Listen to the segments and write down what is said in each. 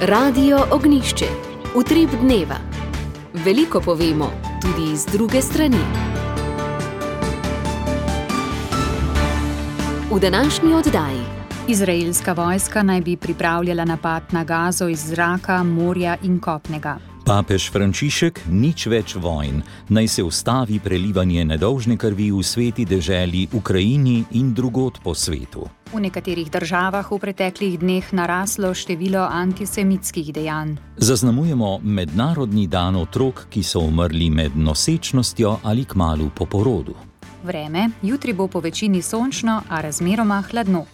Radio Ognjišče. Utrip dneva. Veliko povemo, tudi iz druge strani. V današnji oddaji. Izraelska vojska naj bi pripravljala napad na Gazo iz zraka, morja in kopnega. Papež Frančišek, nič več vojn, naj se ustavi prelivanje nedolžne krvi v sveti deželi Ukrajini in drugod po svetu. V nekaterih državah v preteklih dneh naraslo število antisemitskih dejanj. Zaznamujemo mednarodni dan otrok, ki so umrli med nosečnostjo ali kmalu po porodu. Vreme, jutri bo po večini sončno, a razmeroma hladno.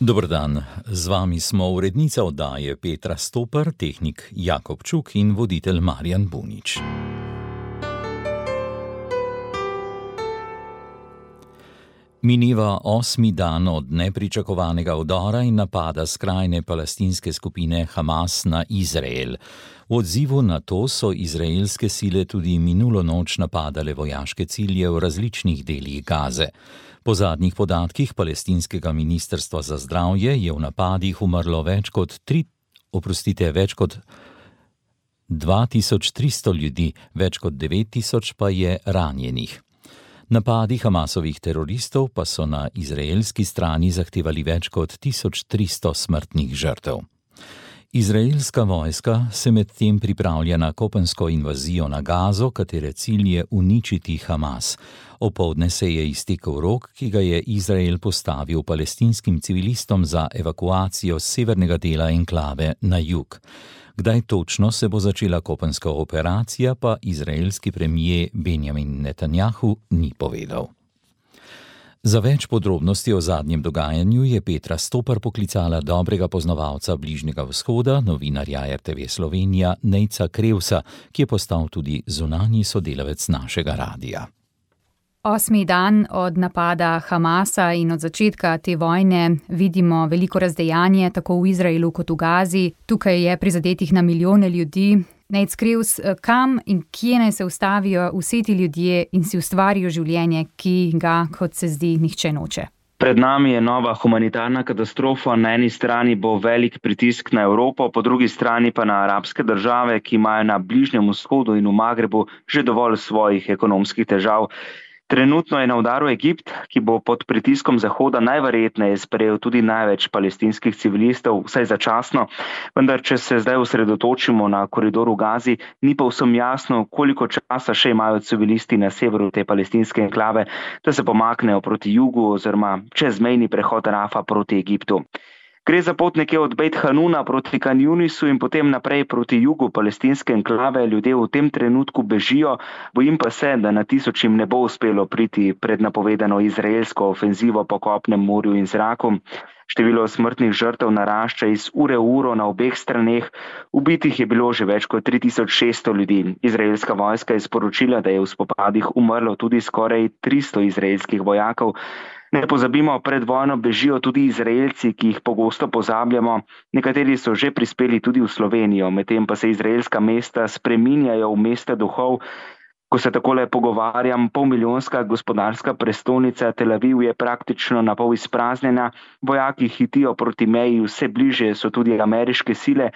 Dober dan, z vami smo urednica oddaje Petra Stopar, tehnik Jakob Čuk in voditelj Marjan Bunič. Mineva 8. dan od nepričakovanega vdora in napada skrajne palestinske skupine Hamas na Izrael. V odzivu na to so izraelske sile tudi minulo noč napadale vojaške cilje v različnih delih Gaze. Po zadnjih podatkih palestinskega ministrstva za zdravje je v napadih umrlo več kot 2300 ljudi, več kot 9000 pa je ranjenih. Napadi Hamasovih teroristov pa so na izraelski strani zahtevali več kot 1300 smrtnih žrtev. Izraelska vojska se medtem pripravlja na kopensko invazijo na Gazo, katere cilj je uničiti Hamas. Opoldne se je iztekel rok, ki ga je Izrael postavil palestinskim civilistom za evakuacijo severnega dela enklave na jug. Kdaj točno se bo začela kopenska operacija, pa izraelski premier Benjamin Netanjahu ni povedal. Za več podrobnosti o zadnjem dogajanju je Petra Stopar poklicala dobrega poznavalca Bližnjega vzhoda, novinarja RTV Slovenija Nejca Krevsa, ki je postal tudi zunanji sodelavec našega radia. 8. dan od napada Hamasa in od začetka te vojne vidimo veliko razdejanje tako v Izraelu kot v Gazi. Tukaj je prizadetih na milijone ljudi. Nejc Krevs, kam in kje naj se ustavijo vsi ti ljudje in si ustvarijo življenje, ki ga, kot se zdi, nihče noče? Pred nami je nova humanitarna katastrofa. Na eni strani bo velik pritisk na Evropo, po drugi strani pa na arabske države, ki imajo na Bližnjem vzhodu in v Magrebu že dovolj svojih ekonomskih težav. Trenutno je na udaru Egipt, ki bo pod pritiskom Zahoda najverjetneje sprejel tudi največ palestinskih civilistov, vsaj začasno. Vendar, če se zdaj osredotočimo na koridor v Gazi, ni pa vsem jasno, koliko časa še imajo civilisti na severu te palestinske enklave, da se pomaknejo proti jugu oziroma čez mejni prehod Rafa proti Egiptu. Gre za pot nekje od Bejt Hanuna proti Kan Junisu in potem naprej proti jugu palestinske enklave. Ljudje v tem trenutku bežijo, bojim pa se, da na tisočim ne bo uspelo priti pred napovedano izraelsko ofenzivo po kopnem, morju in zraku. Število smrtnih žrtev narašča iz ure v uro na obeh straneh. Ubitih je bilo že več kot 3600 ljudi. Izraelska vojska je sporočila, da je v spopadih umrlo tudi skoraj 300 izraelskih vojakov. Ne pozabimo, pred vojno bežijo tudi Izraelci, ki jih pogosto pozabljamo. Nekateri so že prispeli tudi v Slovenijo, medtem pa se izraelska mesta spreminjajo v mesta duhov. Ko se takole pogovarjam, polmilijonska gospodarska prestolnica Tel Aviv je praktično napol izpraznjena. Vojaki hitijo proti meji, vse bliže so tudi ameriške sile.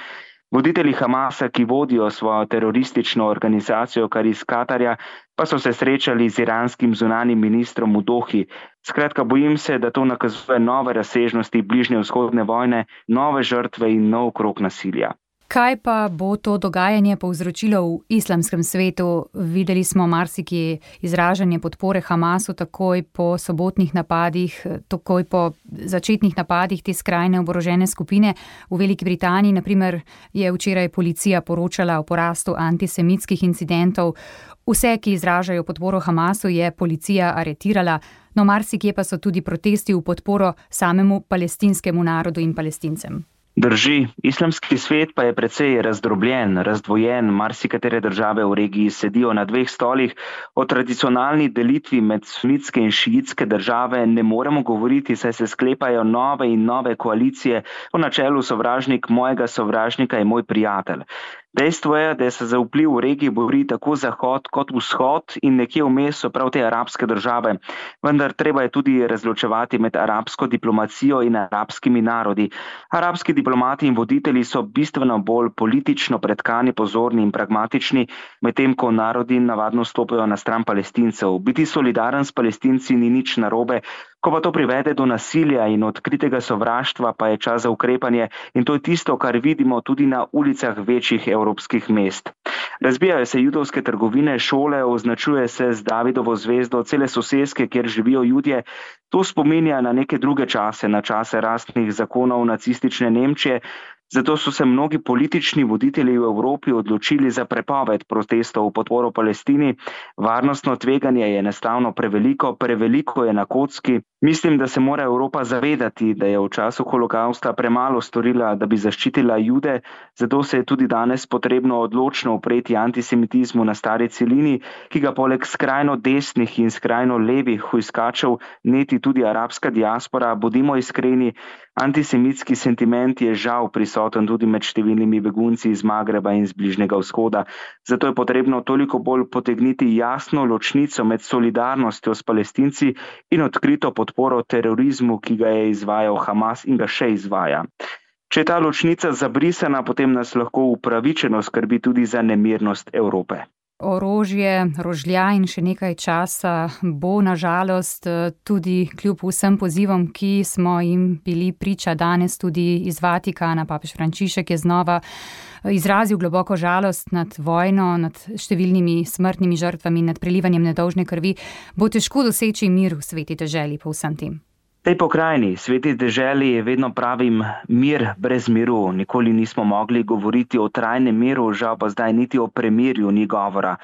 Voditelji Hamasa, ki vodijo svojo teroristično organizacijo kar iz Katarja, pa so se srečali z iranskim zunanjim ministrom v Dohi. Skratka, bojim se, da to nakazuje nove razsežnosti bližnjevzhodne vojne, nove žrtve in nov krog nasilja. Kaj pa bo to dogajanje povzročilo v islamskem svetu? Videli smo marsikje izražanje podpore Hamasu takoj po sobotnih napadih, takoj po začetnih napadih te skrajne oborožene skupine. V Veliki Britaniji, na primer, je včeraj policija poročala o porastu antisemitskih incidentov. Vse, ki izražajo podporo Hamasu, je policija aretirala, no marsikje pa so tudi protesti v podporo samemu palestinskemu narodu in Palestincem. Drži, islamski svet pa je precej razdrobljen, razdvojen, marsikatere države v regiji sedijo na dveh stolih. O tradicionalni delitvi med sunitske in šiitske države ne moremo govoriti, saj se sklepajo nove in nove koalicije. Po načelu sovražnik mojega sovražnika je moj prijatelj. Dejstvo je, da se za vpliv v regiji bori tako Zahod kot Vzhod in nekje vmes so prav te arabske države. Vendar treba je tudi razločevati med arabsko diplomacijo in arabskimi narodi. Arabski diplomati in voditelji so bistveno bolj politično pretkani, pozorni in pragmatični, medtem ko narodi navadno stopajo na stran Palestincev. Biti solidaren s Palestinci ni nič narobe, ko pa to privede do nasilja in odkritega sovraštva, pa je čas za ukrepanje in to je tisto, kar vidimo tudi na ulicah večjih evropskih mest. Razbijajo se judovske trgovine, šole, označuje se z Davidovo zvezdo cele soseske, kjer živijo Judje. To spominja na neke druge čase, na čase rasnih zakonov nacistične Nemčije. Zato so se mnogi politični voditelji v Evropi odločili za prepoved protestov v podporo Palestini. Varnostno tveganje je enostavno preveliko je na kocki. Mislim, da se mora Evropa zavedati, da je v času holokausta premalo storila, da bi zaščitila Jude, zato se je tudi danes potrebno odločno upreti antisemitizmu na stari celini, ki ga poleg skrajno desnih in skrajno levih hujskačev neti tudi arabska diaspora. Bodimo iskreni, antisemitski sentiment je žal prisoten tudi med številnimi begunci iz Magreba in z Bližnjega vzhoda. Zato je potrebno toliko bolj potegniti jasno ločnico med solidarnostjo s Palestinci in odkrito podporo terorizmu, ki ga je izvajal Hamas in ga še izvaja. Če je ta ločnica zabrisana, potem nas lahko upravičeno skrbi tudi za nemirnost Evrope. Orožje, rožlja in še nekaj časa bo nažalost tudi kljub vsem pozivom, ki smo jim bili priča danes tudi iz Vatikana. Papež Frančišek je znova izrazil globoko žalost nad vojno, nad številnimi smrtnimi žrtvami, nad prelivanjem nedolžne krvi. Bo težko doseči mir v sveti deželi po vsem tem. V tej pokrajini, sveti deželi, vedno pravim mir brez miru. Nikoli nismo mogli govoriti o trajnem miru, žal pa zdaj niti o premirju ni govora.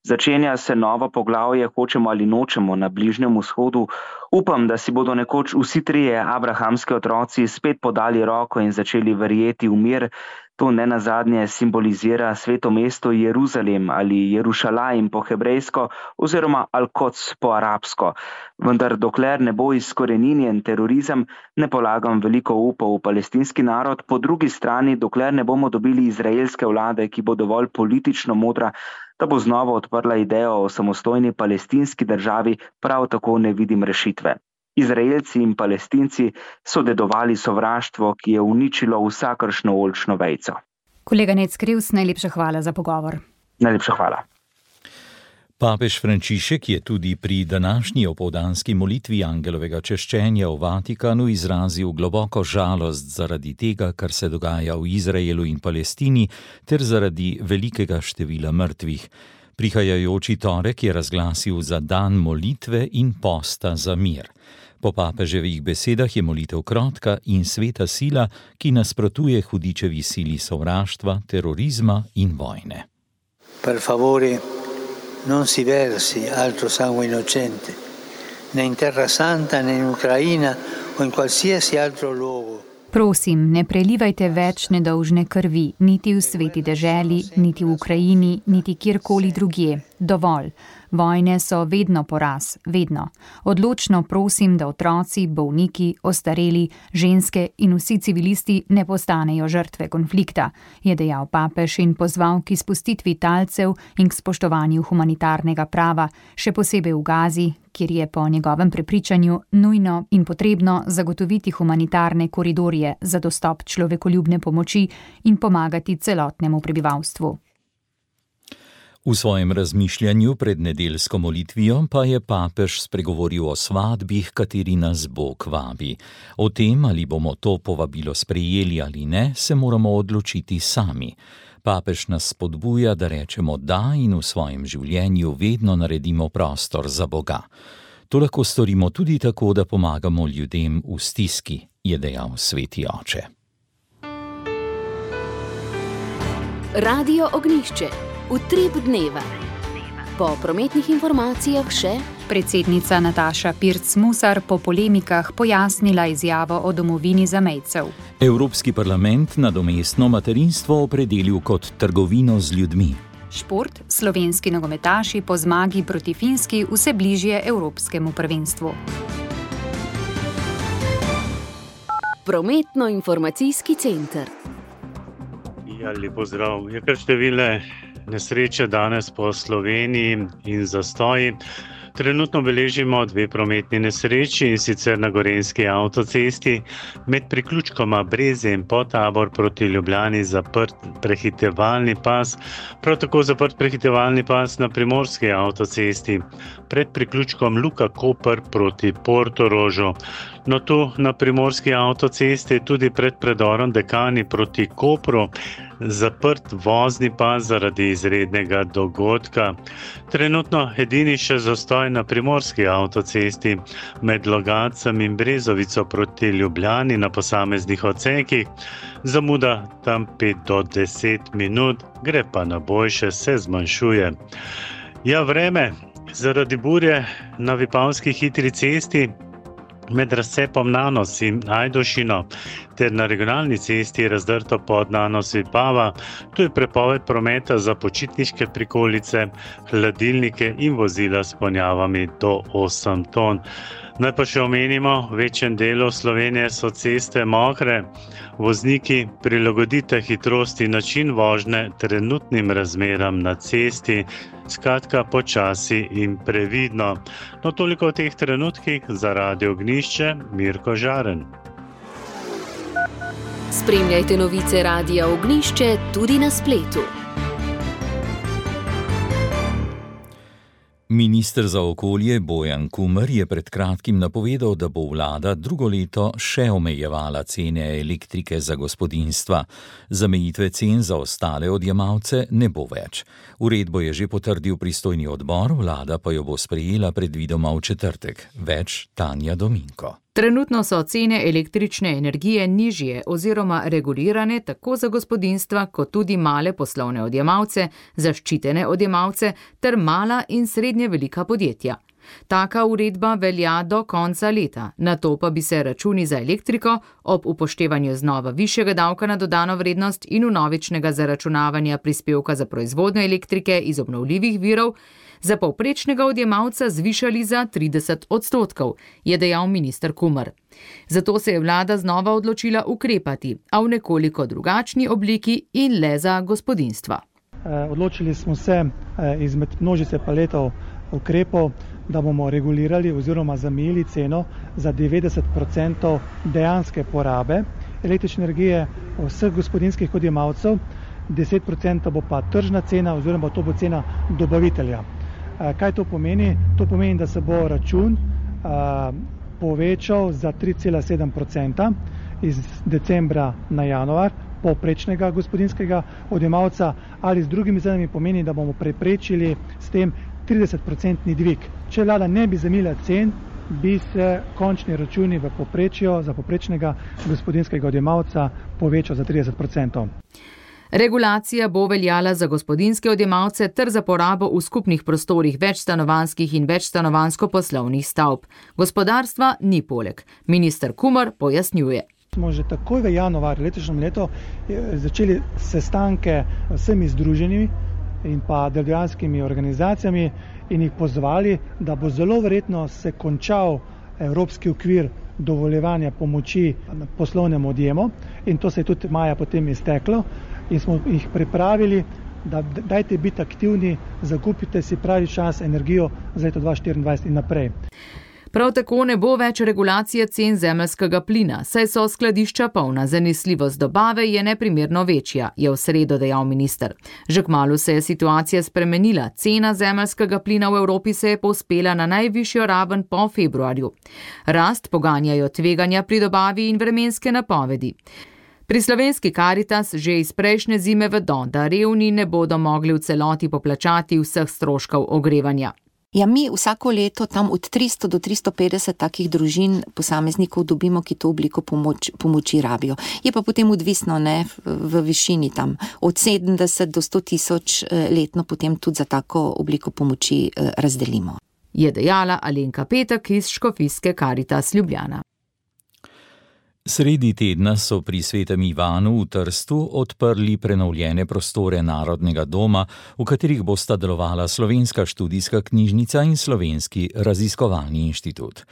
Začenja se novo poglavje, hočemo ali nočemo, na Bližnjem vzhodu. Upam, da si bodo nekoč vsi trije abrahamski otroci spet podali roko in začeli verjeti v mir. To nenazadnje simbolizira sveto mesto Jeruzalem ali Jerušalajm po hebrejsko oziroma Al-Kods po arabsko. Vendar dokler ne bo izkoreninjen terorizem, ne polagam veliko upa v palestinski narod. Po drugi strani, dokler ne bomo dobili izraelske vlade, ki bo dovolj politično modra, da bo znova odprla idejo o samostojni palestinski državi, prav tako ne vidim rešitve. Izraelci in Palestinci so dedovali sovraštvo, ki je uničilo vsakršno oljčno vejico. Kolega Nec Krivs, najlepša hvala za pogovor. Najlepša hvala. Papež Frančišek je tudi pri današnji opoldanski molitvi angelovega češčenja v Vatikanu izrazil globoko žalost zaradi tega, kar se dogaja v Izraelu in Palestini, ter zaradi velikega števila mrtvih. Prihajajoči torek je razglasil za dan molitve in posta za mir. Po papeževih besedah je molitev krotka in sveta sila, ki nasprotuje hudičevi sili sovraštva, terorizma in vojne. Per favore, non si versi altro sangue innocente, né in Terra Santa, né in Ucraina o in qualsiasi altro luogo. Prosim, ne prelivajte več nedolžne krvi, niti v sveti deželi, niti v Ukrajini, niti kjerkoli drugje. Dovolj. Vojne so vedno poraz, vedno. Odločno prosim, da otroci, bolniki, ostareli, ženske in vsi civilisti ne postanejo žrtve konflikta, je dejal papež in pozval k izpustitvi talcev in k spoštovanju humanitarnega prava, še posebej v Gazi, kjer je po njegovem prepričanju nujno in potrebno zagotoviti humanitarne koridorje za dostop človekoljubne pomoči in pomagati celotnemu prebivalstvu. V svojem razmišljanju pred nedeljsko molitvijo pa je papež spregovoril o svadbi, kateri nas Bog vabi. O tem, ali bomo to povabilo sprejeli ali ne, se moramo odločiti sami. Papež nas spodbuja, da rečemo da in v svojem življenju vedno naredimo prostor za Boga. To lahko storimo tudi tako, da pomagamo ljudem v stiski, je dejal sveti oče. Radio Ognjišče. Utrip dneva. Po prometnih informacijah še predsednica Nataša Pirc-Musar po polemikah pojasnila izjavo o domovini zamejcev. Evropski parlament nadomestno materinstvo opredelil kot trgovino z ljudmi. Šport, slovenski nogometaši po zmagi proti Finski vse bližje evropskemu prvenstvu. Prometno-informacijski center. Ja, lepo zdrav. Je kar številne nesreče danes po Sloveniji in zastoji. Trenutno beležimo 2 prometni nesreči, in sicer na Gorenjski avtocesti med priključkoma Breze in Podtabor proti Ljubljani zaprt prehitevalni pas, prav tako zaprt prehitevalni pas na Primorski avtocesti pred priključkom Luka Koper proti Portorožu. No, tu na Primorski avtocesti tudi pred predorom Dekani proti Kopru zaprt vozni pas zaradi izrednega dogodka. Trenutno edini še zastoj na Primorski avtocesti med Logatcem in Brezovico proti Ljubljani na posameznih odsekih. Zamuda tam 5 do 10 minut, gre pa na boljše, se zmanjšuje. Ja, vreme. Zaradi burje na Vipavski hitri cesti med razcepom Nanos in Ajdovščino ter na regionalni cesti razdrto pod Nanos Vipava. Tu je prepoved prometa za počitniške prikolice, hladilnike in vozila s ponjavami do 8 ton. Naj pa še omenimo, v večjem delu Slovenije so ceste mokre. Vozniki, prilagodite hitrost in način vožnje trenutnim razmeram na cesti, skratka počasi in previdno. No, toliko v teh trenutkih. Za Radio Ognjišče, Mirko Žaren. Spremljajte novice Radia Ognjišče tudi na spletu. Minister za okolje Bojan Kumer je pred kratkim napovedal, da bo vlada drugo leto še omejevala cene elektrike za gospodinjstva. Zamejitve cen za ostale odjemalce ne bo več. Uredbo je že potrdil pristojni odbor, vlada pa jo bo sprejela predvidoma v četrtek. Več Tanja Dominko. Trenutno so cene električne energije nižje oziroma regulirane tako za gospodinjstva kot tudi male poslovne odjemalce, zaščitene odjemalce ter mala in srednje velika podjetja. Taka uredba velja do konca leta, nato pa bi se računi za elektriko ob upoštevanju znova višjega davka na dodano vrednost in vnovičnega zaračunavanja prispevka za proizvodnjo elektrike iz obnovljivih virov za povprečnega odjemalca zvišali za 30%, je dejal minister Kumer. Zato se je vlada znova odločila ukrepati, a v nekoliko drugačni obliki in le za gospodinjstva. Odločili smo se izmed množice paletov ukrepov, da bomo regulirali oziroma zamejili ceno za 90% dejanske porabe električne energije vseh gospodinjskih odjemalcev, 10% bo pa tržna cena oziroma to bo cena dobavitelja. Kaj to pomeni? To pomeni, da se bo račun povečal za 3,7% iz decembra na januar povprečnega gospodinjskega odjemalca, ali z drugimi izrazami pomeni, da bomo preprečili s tem 30% dvig. Če vlada ne bi zamejila cen, bi se končni računi v povprečju za povprečnega gospodinjskega odjemalca povečal za 30%. Regulacija bo veljala za gospodinjske odjemalce ter za porabo v skupnih prostorih večstanovanjskih in večstanovanjsko-poslovnih stavb. Gospodarstva ni poleg. Minister Kumer pojasnjuje. Smo že takoj v januarju letošnjem letu začeli sestanke s vsemi združenimi in pa delodajalskimi organizacijami in jih pozvali, da bo zelo verjetno se končal evropski okvir dovoljevanja pomoči poslovnemu odjemu in to se je tudi maja potem izteklo in smo jih pripravili, da dajte biti aktivni, zakupite si pravi čas energijo za leto 2024 in naprej. Prav tako ne bo več regulacije cen zemeljskega plina, saj so skladišča polna, zanesljivost dobave je neprimerno večja, je v sredo dejal minister. Že kmalu se je situacija spremenila, cena zemeljskega plina v Evropi se je povzpela na najvišjo raven po februarju. Rast poganjajo tveganja pri dobavi in vremenske napovedi. Pri slovenski Karitas že iz prejšnje zime vedo, da revni ne bodo mogli v celoti poplačati vseh stroškov ogrevanja. Ja, mi vsako leto tam od 300 do 350 takih družin posameznikov dobimo, ki to obliko pomoči rabijo. Je pa potem odvisno v višini tam od 70 do 100 tisoč letno potem tudi za tako obliko pomoči razdelimo. Je dejala Alenka Petek iz Škofijske Karitas Ljubljana. Sredi tedna so pri Svetem Ivanu v Trstu odprli prenovljene prostore Narodnega doma, v katerih bosta delovala Slovenska študijska knjižnica in Slovenski raziskovalni inštitut.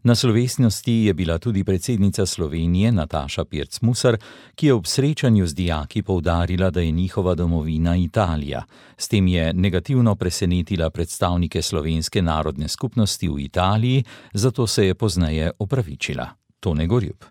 Na slovesnosti je bila tudi predsednica Slovenije Nataša Pirc Musar, ki je ob srečanju z dijaki poudarila, da je njihova domovina Italija. S tem je negativno presenetila predstavnike slovenske narodne skupnosti v Italiji, zato se je pozneje opravičila. Tone Gorjup.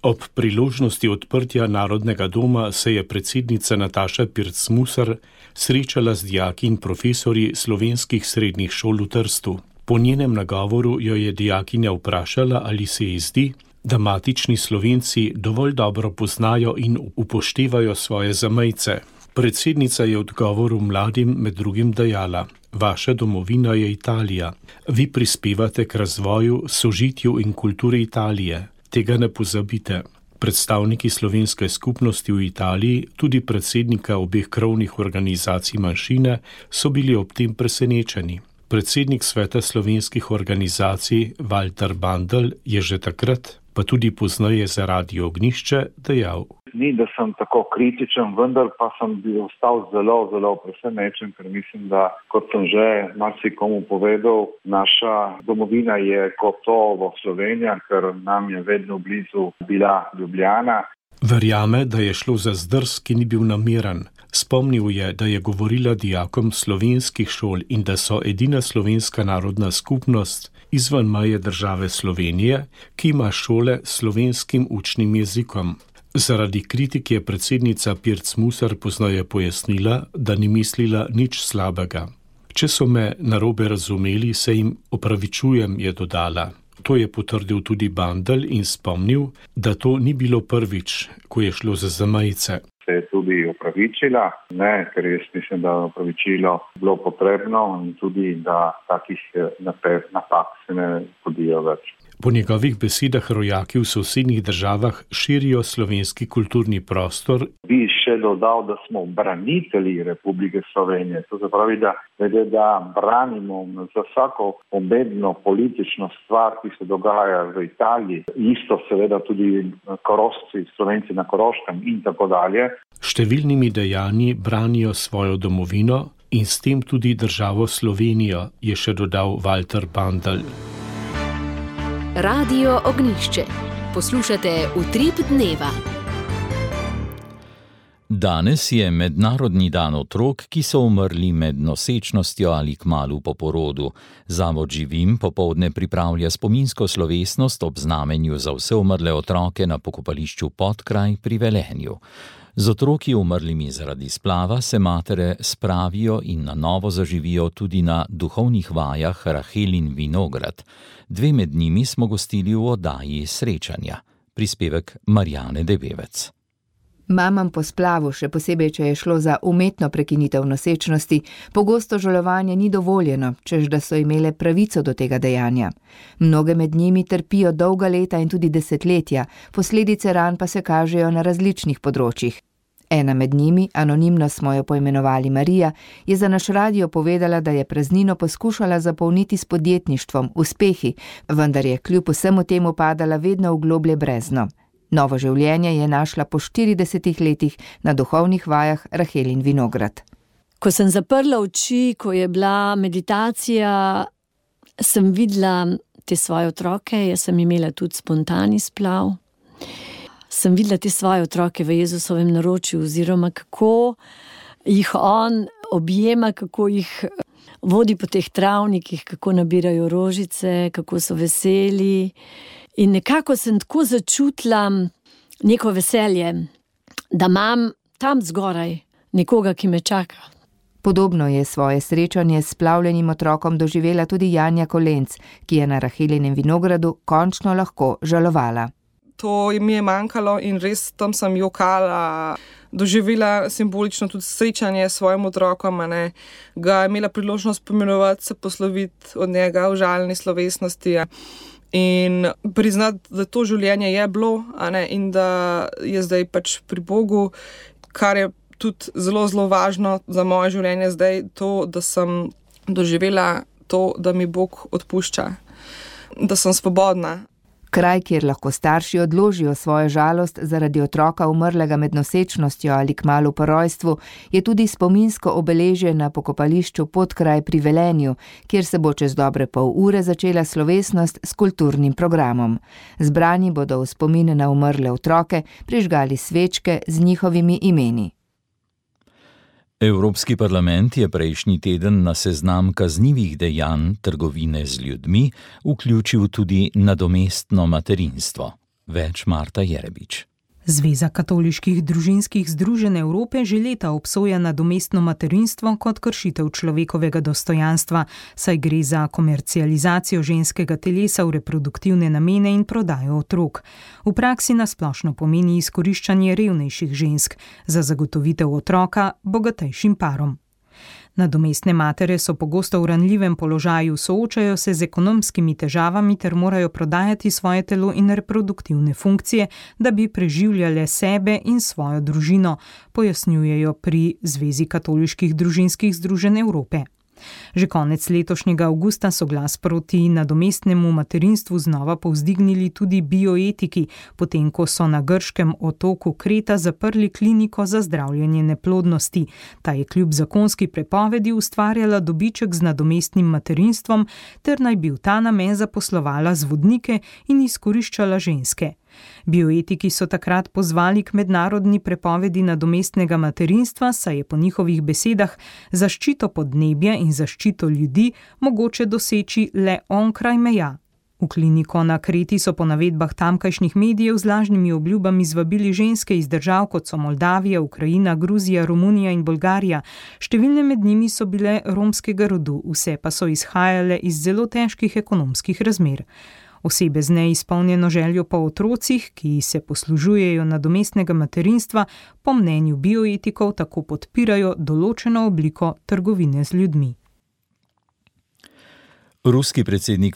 Ob priložnosti odprtja Narodnega doma se je predsednica Nataša Pirc Musar srečala z dijaki in profesorji slovenskih srednjih šol v Trstu. Po njenem nagovoru jo je dijakinja vprašala, ali se ji zdi, da matični Slovenci dovolj dobro poznajo in upoštevajo svoje zamejce. Predsednica je v odgovoru mladim med drugim dejala: vaša domovina je Italija. Vi prispevate k razvoju, sožitju in kulturi Italije. Tega ne pozabite. Predstavniki slovenske skupnosti v Italiji, tudi predsednika obeh krovnih organizacij manjšine, so bili ob tem presenečeni. Predsednik Sveta slovenskih organizacij Walter Bandl je že takrat, pa tudi pozneje za Radio Ognjišče, dejal: Ni, da sem tako kritičen, vendar pa sem bil ostal zelo presenečen, ker mislim, da, kot sem že marsikomu povedal, naša domovina je gotovo Slovenija, ker nam je vedno blizu bila Ljubljana. Verjame, da je šlo za zdrs, ki ni bil nameren. Spomnil je, da je govorila dijakom slovenskih šol in da so edina slovenska narodna skupnost izven meje države Slovenije, ki ima šole s slovenskim učnim jezikom. Zaradi kritik je predsednica Pirc Musar pozneje pojasnila, da ni mislila nič slabega. Če so me narobe razumeli, se jim opravičujem, je dodala. To je potrdil tudi Bandl in spomnil, da to ni bilo prvič, ko je šlo za zamejce. Se je tudi opravičila, ker jaz mislim, da je opravičilo bilo potrebno in tudi, da takih napak se ne podijo več. Po njegovih besedah rojaki v sosednjih državah širijo slovenski kulturni prostor. Bi še dodal, da smo branitelji Republike Slovenije. To se pravi, da branimo za vsako pomembno politično stvar, ki se dogaja v Italiji. Isto seveda tudi Korošci, Slovenci na Koroškem in tako dalje. Številnimi dejanji branijo svojo domovino in s tem tudi državo Slovenijo, je še dodal Walter Bandl. Radio Ognjišče. Poslušate Utrip dneva. Danes je mednarodni dan otrok, ki so umrli med nosečnostjo ali kmalu po porodu. Zavod Živim popoldne pripravlja spominsko slovesnost ob znamenju za vse umrle otroke na pokopališču Podkraj pri Velenju. Z otroki umrlimi zaradi splava se matere spravijo in na novo zaživijo tudi na duhovnih vajah Rahel in Vinograd. 2 med njimi smo gostili v oddaji Srečanja. Prispevek Marjane Debevec. Mamam po splavu, še posebej, če je šlo za umetno prekinitev nosečnosti, pogosto žalovanje ni dovoljeno, čež da so imele pravico do tega dejanja. Mnoge med njimi trpijo dolga leta in tudi desetletja, posledice ran pa se kažejo na različnih področjih. Ena med njimi, anonimno smo jo poimenovali Marija, je za naš radio povedala, da je praznino poskušala zapolniti s podjetništvom, uspehi, vendar je kljub vsemu temu padala vedno v globlje brezno. Novo življenje je našla po 40 letih na duhovnih vajah Rahel in Vinograd. Ko sem zaprla oči, ko je bila meditacija, sem videla te svoje otroke, jaz sem imela tudi spontani splav. Sem videla te svoje otroke v Jezusovem naročju, oziroma kako jih on objema, kako jih vodi po teh travnikih, kako nabirajo rožice, kako so veseli. In nekako sem tako začutila neko veselje, da imam tam zgoraj nekoga, ki me čaka. Podobno je svoje srečanje s splavljenim otrokom doživela tudi Janja Kolenc, ki je na Rahelinem Vinogradu končno lahko žalovala. To mi je manjkalo in res tam sem jokala, doživela simbolično tudi srečanje s svojim otrokom, ga imela priložnost pomenovati, se posloviti od njega v žalni slovesnosti. In priznati, da to življenje je bilo, in da je zdaj pač pri Bogu, kar je tudi zelo važno za moje življenje zdaj, to, da sem doživela to, da mi Bog odpušča, da sem svobodna. Kraj, kjer lahko starši odložijo svojo žalost zaradi otroka umrlega med nosečnostjo ali kmalu po rojstvu, je tudi spominsko obeležje na pokopališču Podkraj pri Velenju, kjer se bo čez dobre pol ure začela slovesnost s kulturnim programom. Zbrani bodo v spomin na umrle otroke prižgali svečke z njihovimi imeni. Evropski parlament je prejšnji teden na seznam kaznivih dejanj trgovine z ljudmi vključil tudi nadomestno materinstvo. Več Marta Jerebič. Zveza katoliških družinskih združenj Evrope že leta obsoja nadomestno materinstvo kot kršitev človekovega dostojanstva, saj gre za komercializacijo ženskega telesa v reproduktivne namene in prodajo otrok. V praksi nasplošno pomeni izkoriščanje revnejših žensk za zagotovitev otroka bogatejšim parom. Nadomestne matere so pogosto v ranljivem položaju, soočajo se z ekonomskimi težavami ter morajo prodajati svoje telo in reproduktivne funkcije, da bi preživljale sebe in svojo družino, pojasnjujejo pri Zvezi katoliških družinskih združenj Evrope. Že konec letošnjega avgusta so glas proti nadomestnemu materinstvu znova povzdignili tudi bioetiki, potem ko so na grškem otoku Kreta zaprli kliniko za zdravljenje neplodnosti. Ta je kljub zakonski prepovedi ustvarjala dobiček z nadomestnim materinstvom ter naj bi v ta namen zaposlovala zvodnike in izkoriščala ženske. Bioetiki so takrat pozvali k mednarodni prepovedi nadomestnega materinstva, saj je po njihovih besedah zaščito podnebja in zaščito ljudi mogoče doseči le onkraj meja. V kliniko na Kreti so po navedbah tamkajšnjih medijev z lažnimi obljubami zvabili ženske iz držav, kot so Moldavija, Ukrajina, Gruzija, Romunija in Bolgarija. Številne med njimi so bile romskega rodu, vse pa so izhajale iz zelo težkih ekonomskih razmer. Osebe z neizpolnjeno željo po otrocih, ki se poslužujejo nadomestnega materinstva, po mnenju bioetikov tako podpirajo določeno obliko trgovine z ljudmi. Ruski predsednik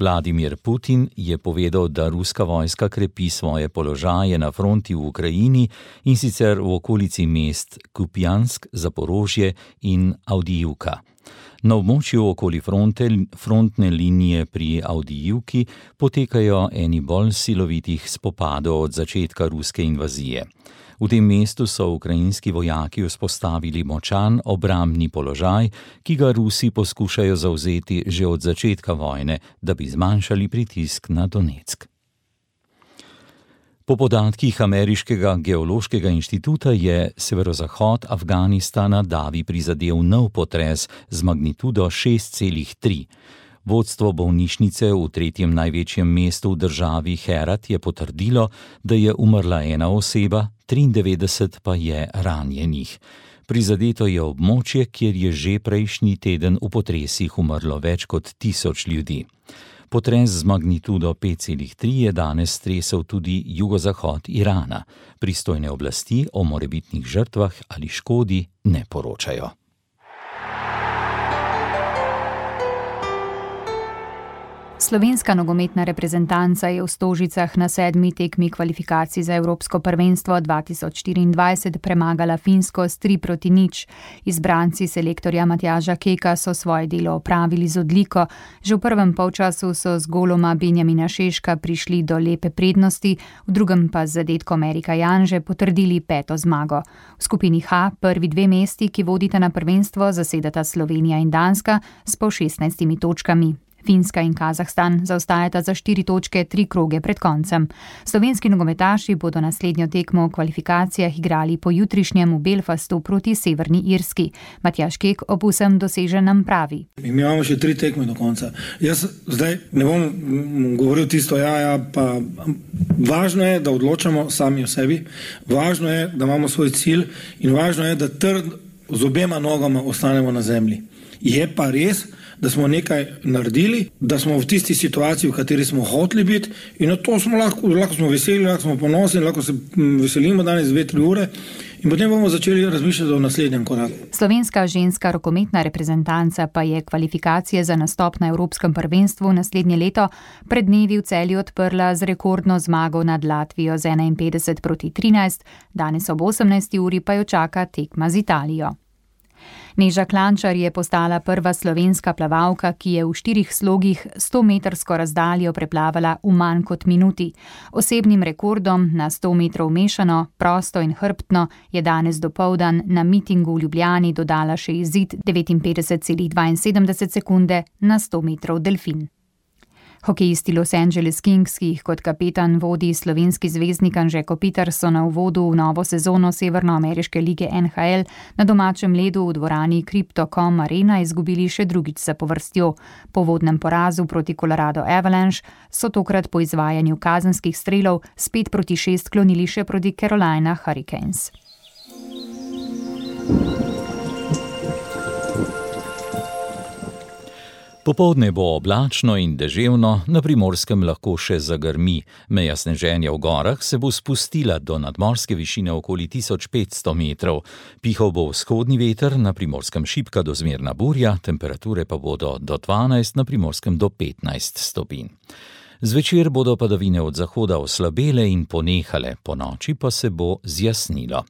Vladimir Putin je povedal, da ruska vojska krepi svoje položaje na fronti v Ukrajini in sicer v okolici mest Kupjansk, Zaporožje in Avdijivka. Na območju okoli frontne linije pri Avdijivki potekajo eni bolj silovitih spopadov od začetka ruske invazije. V tem mestu so ukrajinski vojaki vzpostavili močan obrambni položaj, ki ga Rusi poskušajo zavzeti že od začetka vojne, da bi zmanjšali pritisk na Donetsk. Po podatkih Ameriškega geološkega inštituta je severozahod Afganistana davi prizadel nov potres z magnitudo 6,3. Vodstvo bolnišnice v tretjem največjem mestu v državi Herat je potrdilo, da je umrla ena oseba, 93 pa je ranjenih. Prizadeto je območje, kjer je že prejšnji teden v potresih umrlo več kot 1000 ljudi. Potres z magnitudo 5,3 je danes stresel tudi jugozahod Irana. Pristojne oblasti o morebitnih žrtvah ali škodi ne poročajo. Slovenska nogometna reprezentanca je v Stožicah na 7. tekmi kvalifikacij za Evropsko prvenstvo 2024 premagala Finsko s 3-0. Izbranci selektorja Matjaža Keka so svoje delo opravili z odliko. Že v prvem polčasu so z goloma Benjamina Šeška prišli do lepe prednosti, v drugem pa z zadetkom Erika Janže potrdili 5. zmago. V skupini H prvi 2 mesti, ki vodita na prvenstvo, zasedata Slovenija in Danska s po 16 točkami. Finska in Kazahstan zaostajata za 4 točke 3 kroge pred koncem. Slovenski nogometaši bodo naslednjo tekmo v kvalifikacijah igrali po jutrišnjem v Belfastu proti Severni Irski. Matjaž Kek ob vsem doseženem pravi. Mi imamo še 3 tekme do konca. Jaz zdaj ne bom govoril tisto pa važno je, da odločamo sami o sebi, važno je, da imamo svoj cilj in važno je, da z obema nogama ostanemo na zemlji. Je pa res, da smo nekaj naredili, da smo v tisti situaciji, v kateri smo hoteli biti in na to smo lahko smo veseli, lahko smo ponosni, lahko se veselimo danes 2-3 ure in potem bomo začeli razmišljati o naslednjem koraku. Slovenska ženska rokometna reprezentanca pa je kvalifikacije za nastop na Evropskem prvenstvu naslednje leto pred dnevi v Celju odprla z rekordno zmago nad Latvijo z 51-13, danes ob 18. uri pa jo čaka tekma z Italijo. Neža Klančar je postala prva slovenska plavalka, ki je v 4 slogih 100-metrsko razdaljo preplavala v manj kot minuti. Osebnim rekordom na 100 metrov mešano, prosto in hrbtno je danes dopoldan na mitingu v Ljubljani dodala še izid 59,72 sekunde na 100 metrov delfin. Hokejisti Los Angeles Kings, ki jih kot kapetan vodi slovenski zvezdnik Anže Kopitar, so na uvodu v novo sezono severnoameriške lige NHL na domačem ledu v dvorani Crypto.com Arena izgubili še drugič zapovrstjo. Po vodnem porazu proti Colorado Avalanche so tokrat po izvajanju kazenskih strelov s 5-6 klonili še proti Carolina Hurricanes. Popoldne bo oblačno in deževno, na Primorskem lahko še zagrmi. Meja sneženja v gorah se bo spustila do nadmorske višine okoli 1500 metrov. Pihal bo vzhodni veter, na Primorskem šibka do zmerna burja, temperature pa bodo do 12, na Primorskem do 15 stopinj. Zvečer bodo padavine od zahoda oslabele in ponehale, ponoči pa se bo zjasnilo.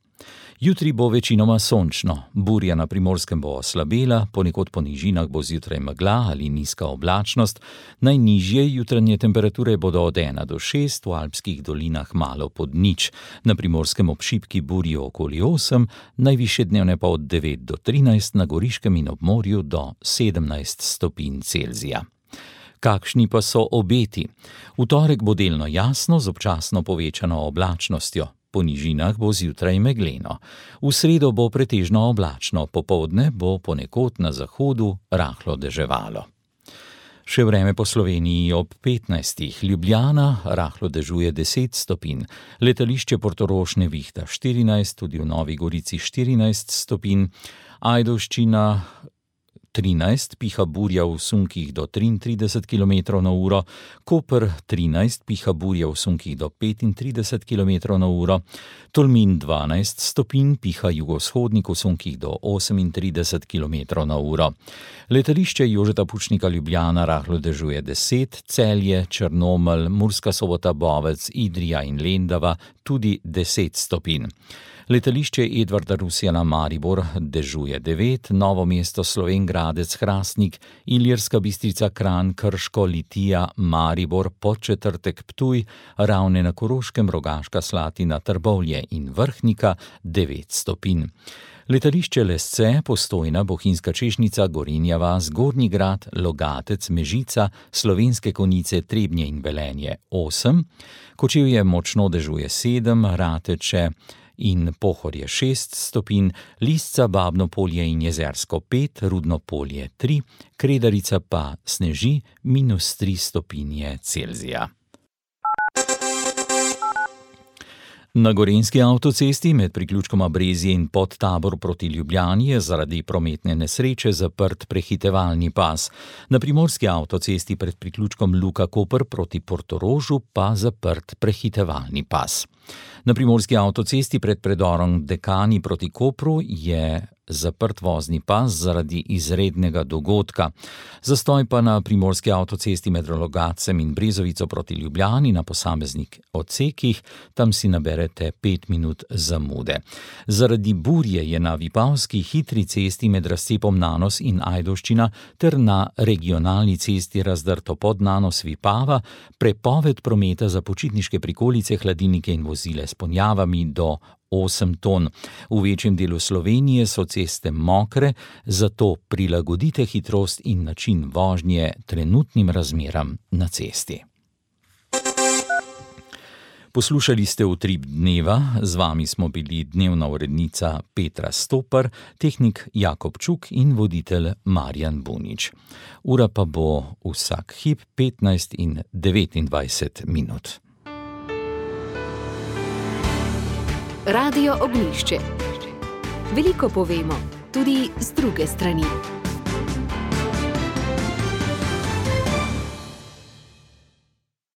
Jutri bo večinoma sončno, burja na Primorskem bo oslabela, ponekod po nižinah bo zjutraj megla ali nizka oblačnost, najnižje jutranje temperature bodo od 1 do 6, v alpskih dolinah malo pod nič, na Primorskem ob šibki burji okoli 8, najvišje dnevne pa od 9 do 13, na Goriškem in ob morju do 17 stopinj Celzija. Kakšni pa so obeti? V torek bo delno jasno z občasno povečano oblačnostjo. Po nižinah bo zjutraj megleno. V sredo bo pretežno oblačno, popoldne bo ponekod na zahodu rahlo deževalo. Še vreme po Sloveniji ob 15. Ljubljana rahlo dežuje 10 stopinj, letališče Portorož nevihta 14, tudi v Novi Gorici 14 stopinj, Ajdovščina 13, piha burja v sunkih do 33 km na uro, Koper 13, piha burja v sunkih do 35 km na uro, Tolmin 12 stopinj, piha jugovzhodnik v sunkih do 38 km na uro. Letališče Jožeta Pučnika Ljubljana rahlo dežuje 10, Celje, Črnomelj, Murska Sobota, Bovec, Idrija in Lendava tudi 10 stopinj. Letališče Edvarda Rusjana Maribor dežuje 9, Novo mesto Slovenj Gradec Hrastnik, Ilirska Bistrica Kranj, Krško, Litija, Maribor, Podčetrtek Ptuj, Ravne na Koroškem, Rogaška Slatina, Trbovlje in Vrhnika 9 stopinj. Letališče Lesce, Postojna, Bohinjska Češnica, Gorenja vas, Gornji Grad, Logatec, Mežica, Slovenske Konjice, Trebnje in Velenje 8, Kočevje močno dežuje 7, Rateče in Pohorje 6 stopinj, Lisca, Babno Polje in Jezersko 5, Rudno Polje 3, Kredarica pa sneži -3 stopinje Celzija. Na Gorenjski avtocesti med priključkoma Brezje in Podtabor proti Ljubljani je zaradi prometne nesreče zaprt prehitevalni pas. Na Primorski avtocesti pred priključkom Luka Koper proti Portorožu pa zaprt prehitevalni pas. Na Primorski avtocesti pred predorom Dekani proti Kopru je zaprt vozni pas zaradi izrednega dogodka. Zastoj pa na Primorski avtocesti med Rogatcem in Brezovico proti Ljubljani na posameznih odsekih, tam si naberete 5 minut zamude. Zaradi burje je na Vipavski hitri cesti med razcepom Nanos in Ajdovščina ter na regionalni cesti razdrto pod Nanos Vipava prepoved prometa za počitniške prikolice, hladilnike in vozile s ponjavami do 8 ton. V večjem delu Slovenije so ceste mokre, zato prilagodite hitrost in način vožnje trenutnim razmeram na cesti. Poslušali ste Utrip dneva, z vami smo bili dnevna urednica Petra Stopar, tehnik Jakob Čuk in voditelj Marjan Bunič. Ura pa bo vsak hip 15 in 29 minut. Radio Ognjišče. Veliko povemo, tudi z druge strani.